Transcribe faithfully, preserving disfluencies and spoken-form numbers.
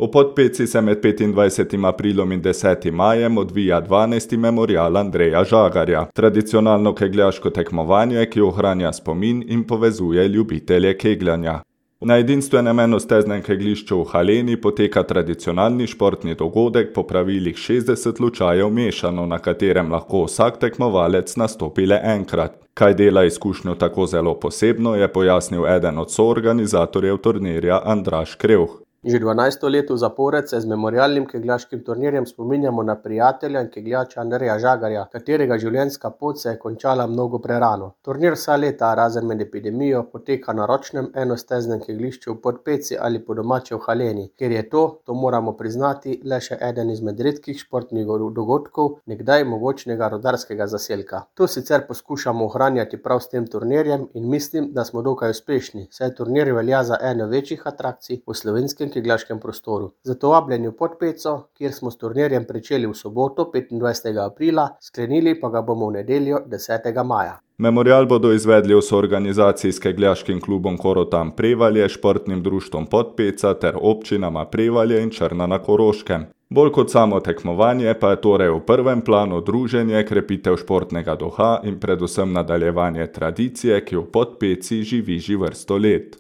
V Podpeci se med petindvajsetim aprilom in desetim majem odvija dvanajsti memorial Andreja Žagarja, tradicionalno kegljaško tekmovanje, ki ohranja spomin in povezuje ljubitelje kegljanja. Na edinstvenem enosteznem kegljišču v Haleni poteka tradicionalni športni dogodek po pravilih šestdeset lučajev mešano, na katerem lahko vsak tekmovalec nastopi le enkrat. Kaj dela izkušnjo tako zelo posebno, je pojasnil eden od soorganizatorjev turnirja Andraž Krevh. Že dvanajsto leto zapored se z memorialnim kegljaškim turnirjem spominjamo na prijatelja in kegljača Andreja Žagarja, katerega življenjska pot se je končala mnogo prerano. Turnir vsa leta, razen med epidemijo, poteka na ročnem enosteznem kegljišču v Podpeci ali po domače v Haleni, ker je to, to moramo priznati, le še eden izmed redkih športnih dogodkov nekdaj mogočnega rudarskega zaselka. To sicer poskušamo ohranjati prav s tem turnirjem in mislim, da smo dokaj uspešni, saj turnir velja za eno večjih atrakcij v slovenskem kegljaškem prostoru. Zato vabljeni v Podpeco, kjer smo s turnirjem pričeli v soboto, petindvajsetega aprila, sklenili pa ga bomo v nedeljo, desetega maja. Memorial bodo izvedli v soorganizaciji s kegljaškim klubom Korotan Prevalje, športnim društvom Podpeca ter občinama Prevalje in Črna na Koroškem. Bolj kot samo tekmovanje pa je torej v prvem planu druženje, krepitev športnega duha in predvsem nadaljevanje tradicije, ki v Podpeci živi že vrsto let.